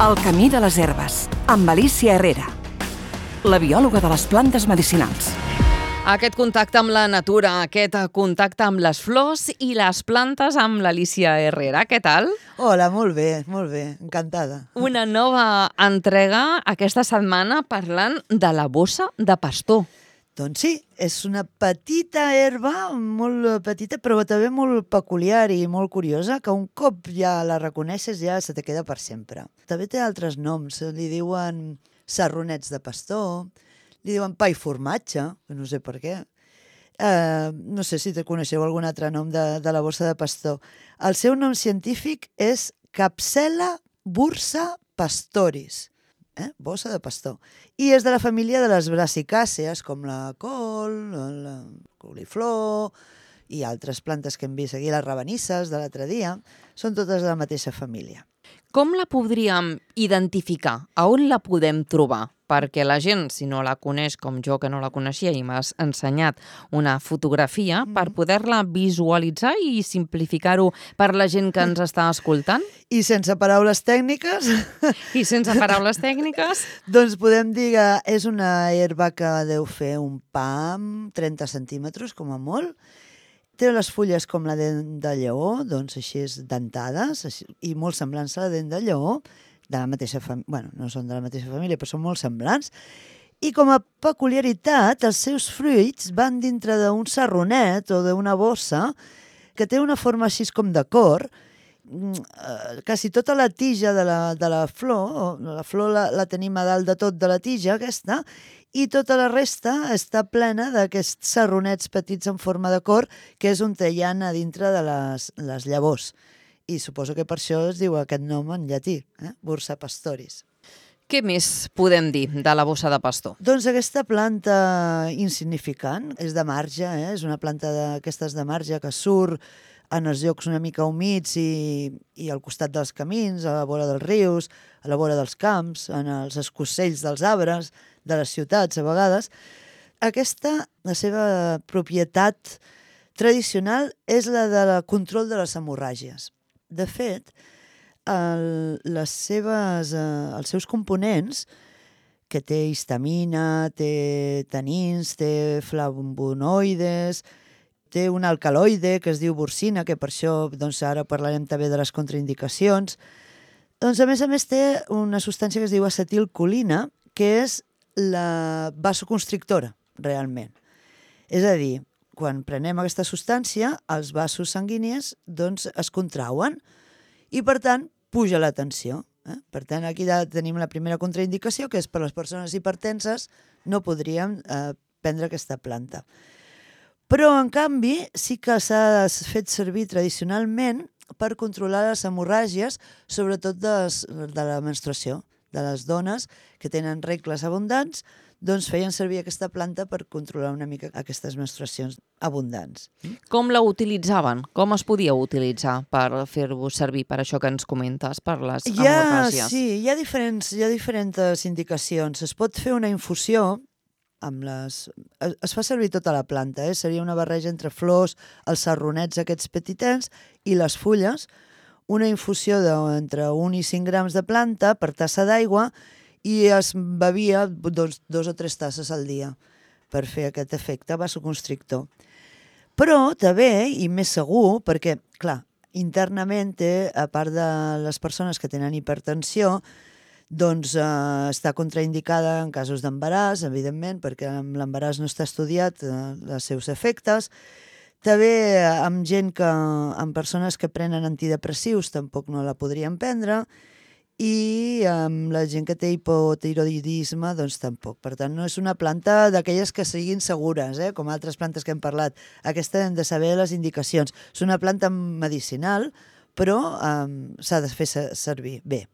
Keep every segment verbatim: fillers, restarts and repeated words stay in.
El camí de les herbes, amb Alicia Herrera, la biòloga de les plantes medicinals. Aquest contacte amb la natura, aquest contacte amb les flors i les plantes amb l'Alicia Herrera. Què tal? Hola, molt bé, molt bé, encantada. Una nova entrega aquesta setmana parlant de la bossa de pastor. Doncs sí, és una petita herba, molt petita, però també molt peculiar i molt curiosa, que un cop ja la reconeixes ja se te queda per sempre. També té altres noms, li diuen sarronets de pastor, li diuen pa i formatge, no sé per què. Uh, no sé si te coneixeu algun altre nom de, de la bossa de pastor. El seu nom científic és Capsella bursa pastoris. Eh? Bossa de pastor. I és de la família de les brasicàcees, com la col, la coliflor i altres plantes que hem vist aquí, les rabanisses de l'altre dia, són totes de la mateixa família. Com la podríem identificar? A on la podem trobar? Perquè la gent, si no la coneix com jo, que no la coneixia i m'has ensenyat una fotografia, mm. per poder-la visualitzar i simplificar-ho per la gent que ens està escoltant? I sense paraules tècniques? I sense paraules tècniques? Doncs podem dir que és una herba que deu fer un pam, trenta centímetres, com a molt. Té les fulles com la dent de lleó, doncs així és dentades, així, i molt semblants a la dent de lleó, de la mateixa família, bueno, no són de la mateixa família, però són molt semblants. I com a peculiaritat, els seus fruits van dintre d'un sarronet o d'una bossa que té una forma així com de cor. Quasi tota la tija de la, de la flor, la flor la, la tenim a dalt de tot de la tija aquesta, i tota la resta està plena d'aquests sarronets petits en forma de cor, que és on hi ha a dintre de les, les llavors. I suposo que per això es diu aquest nom en llatí, eh? Bursa pastoris. Què més podem dir de la bossa de pastor? Doncs aquesta planta insignificant és de marge, eh? És una planta d'aquestes de marge que surt en els llocs una mica humits i, i al costat dels camins, a la vora dels rius, a la vora dels camps, en els escossells dels arbres, de les ciutats a vegades. Aquesta, la seva propietat tradicional és la de la control de les hemorràgies. De fet, el, les seves, eh, els seus components, que té histamina, té tanins, té flavonoides, té un alcaloide que es diu bursina, que per això doncs, ara parlarem també de les contraindicacions. Doncs, a més a més, té una substància que es diu acetilcolina, que és la vasoconstrictora, realment. És a dir, quan prenem aquesta substància, els vasos sanguinis doncs, es contrauen i, per tant, puja la tensió. Eh? Per tant, aquí ja tenim la primera contraindicació, que és per les persones hipertenses no podríem eh, prendre aquesta planta. Però, en canvi, sí que s'ha fet servir tradicionalment per controlar les hemorràgies, sobretot de, les, de la menstruació, de les dones que tenen regles abundants, doncs feien servir aquesta planta per controlar una mica aquestes menstruacions abundants. Com la utilitzaven? Com es podia utilitzar per fer-ho servir per això que ens comentes, per les hemorràgies? Sí, hi ha diferents, hi ha diferents indicacions. Es pot fer una infusió amb les... Es fa servir tota la planta, eh? Seria una barreja entre flors, els sarronets aquests petitets i les fulles, una infusió d'entre un i cinc grams de planta per tassa d'aigua i es bevia dos, dos o tres tasses al dia per fer aquest efecte vasoconstrictor. Però també, i més segur, perquè, clar, internament té, a part de les persones que tenen hipertensió, doncs eh, està contraindicada en casos d'embaràs, evidentment, perquè amb l'embaràs no està estudiat eh, els seus efectes. També amb gent que, amb persones que prenen antidepressius tampoc no la podrien prendre, i amb la gent que té hipotiroidisme doncs tampoc. Per tant, no és una planta d'aquelles que siguin segures, eh? Com altres plantes que hem parlat. Aquesta hem de saber les indicacions. És una planta medicinal, però um, s'ha de fer servir bé.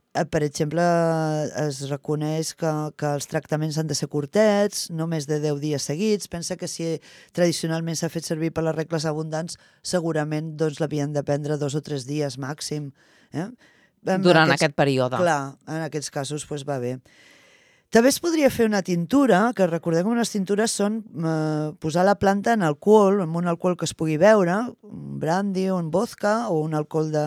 Per exemple, es reconeix que, que els tractaments han de ser curtets, no més de deu dies seguits. Pensa que si tradicionalment s'ha fet servir per les regles abundants, segurament doncs, l'havien de prendre dos o tres dies màxim. Eh? Durant aquests, aquest període. Clar, en aquests casos doncs, va bé. També es podria fer una tintura, que recordem que unes tintures són eh, posar la planta en alcohol, en un alcohol que es pugui beure, un brandy, un vodka o un alcohol de,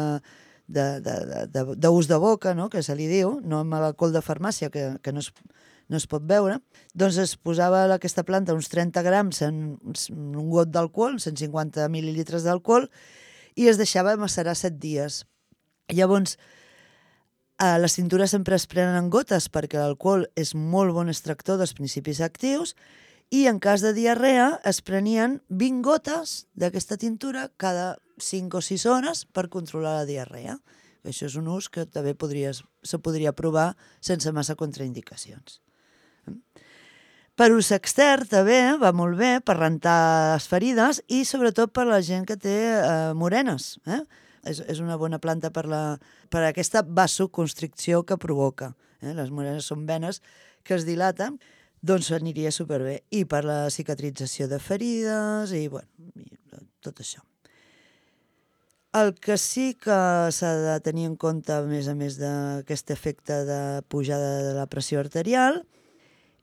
d'ús de, de, de, de boca, no?, que se li diu, no amb l'alcohol de farmàcia, que, que no es, no es pot beure, doncs es posava aquesta planta uns trenta grams en un got d'alcohol, cent cinquanta mil·lilitres d'alcohol, i es deixava macerar set dies. Llavors, a les tintures sempre es prenen en gotes perquè l'alcohol és molt bon extractor dels principis actius i en cas de diarrea es prenien vint gotes d'aquesta tintura cada cinc o sis hores per controlar la diarrea. Això és un ús que també podries, se podria provar sense massa contraindicacions. Per ús extern també va molt bé per rentar les ferides i sobretot per la gent que té eh, morenes. Eh? És, és una bona planta per, la, per aquesta vasoconstricció que provoca. Eh? Les morenes són venes que es dilaten, doncs aniria superbé. I per la cicatrització de ferides i, bueno, i tot això. El que sí que s'ha de tenir en compte, a més a més d'aquest efecte de pujada de la pressió arterial,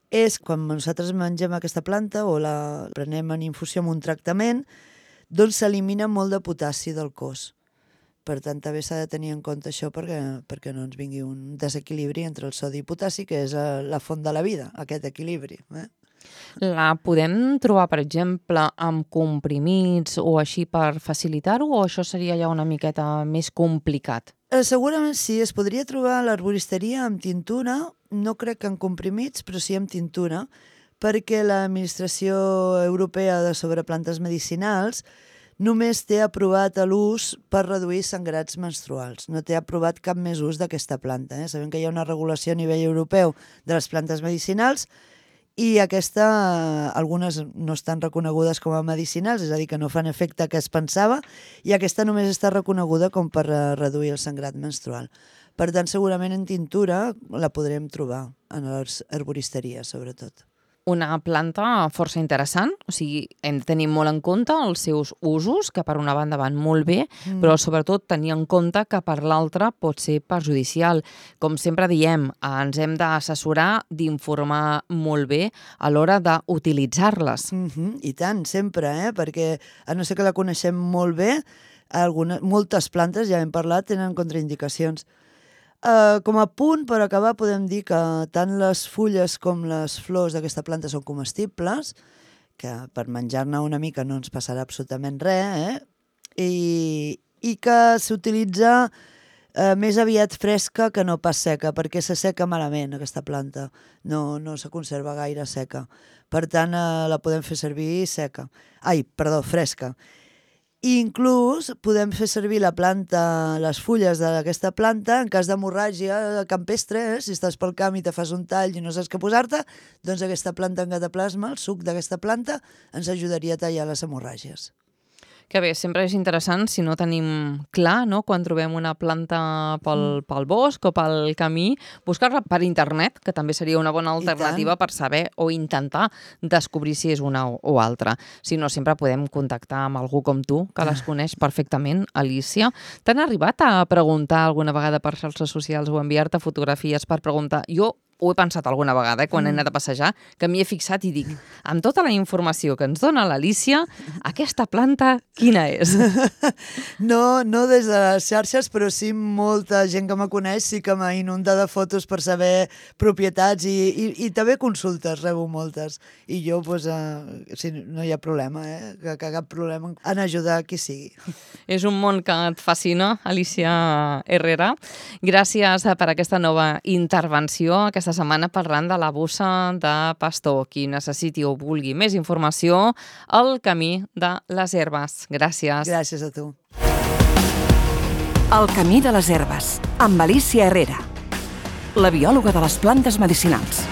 és quan nosaltres mengem aquesta planta o la prenem en infusió amb un tractament, doncs s'elimina molt de potassi del cos. Per tant, també s'ha de tenir en compte això perquè, perquè no ens vingui un desequilibri entre el sodi i potassi, que és la font de la vida, aquest equilibri. Eh? La podem trobar, per exemple, amb comprimits o així per facilitar-ho, o això seria ja una miqueta més complicat? Eh, segurament sí, es podria trobar a l'herboristeria amb tintura, no crec que en comprimits, però sí amb tintura, perquè l'Administració Europea de Sobreplantes Medicinals només té aprovat l'ús per reduir sangrats menstruals. No té aprovat cap més ús d'aquesta planta. Eh? Sabem que hi ha una regulació a nivell europeu de les plantes medicinals i aquesta, algunes no estan reconegudes com a medicinals, és a dir, que no fan efecte que es pensava, i aquesta només està reconeguda com per reduir el sangrat menstrual. Per tant, segurament en tintura la podrem trobar en les herboristeries, sobretot. Una planta força interessant, o sigui, hem de tenir molt en compte els seus usos, que per una banda van molt bé, mm. però sobretot tenir en compte que per l'altra pot ser perjudicial. Com sempre diem, ens hem d'assessorar, d'informar molt bé a l'hora d'utilitzar-les. Mm-hmm, I tant, sempre, eh? Perquè a no ser que la coneixem molt bé, algunes, moltes plantes, ja hem parlat, tenen contraindicacions. Uh, com a punt, per acabar, podem dir que tant les fulles com les flors d'aquesta planta són comestibles, que per menjar-ne una mica no ens passarà absolutament res, eh? I, i que s'utilitza uh, més aviat fresca que no pas seca, perquè se seca malament aquesta planta, no, no se conserva gaire seca. Per tant, uh, la podem fer servir seca. Ai, perdó, fresca. I inclús podem fer servir la planta, les fulles d'aquesta planta en cas d'hemorràgia campestre, eh? Si estàs pel camp i te fas un tall i no saps què posar-te, doncs aquesta planta en cataplasma, el suc d'aquesta planta, ens ajudaria a tallar les hemorràgies. Que bé, sempre és interessant si no tenim clar, no?, quan trobem una planta pel, pel bosc o pel camí, buscar-la per internet, que també seria una bona alternativa per saber o intentar descobrir si és una o, o altra. Si no, sempre podem contactar amb algú com tu, que les coneix perfectament, Alícia. T'han arribat a preguntar alguna vegada per xarxes socials o enviar-te fotografies per preguntar? Jo ho he pensat alguna vegada, eh, quan mm. he anat a passejar, que m'hi he fixat i dic, amb tota la informació que ens dona l'Alícia, aquesta planta quina és? No, no des de les xarxes, però sí molta gent que me coneix sí que m'ha inundat de fotos per saber propietats i, i, i també consultes, rebo moltes. I jo, doncs, eh, sí, no hi ha problema, eh, que, que cap problema en ajudar qui sigui. És un món que et fascina, Alícia Herrera. Gràcies per aquesta nova intervenció, aquesta setmana parlant de la bossa de pastor. Qui necessiti o vulgui més informació, El camí de les herbes. Gràcies. Gràcies a tu. El camí de les herbes, amb Alícia Herrera, la biòloga de les plantes medicinals.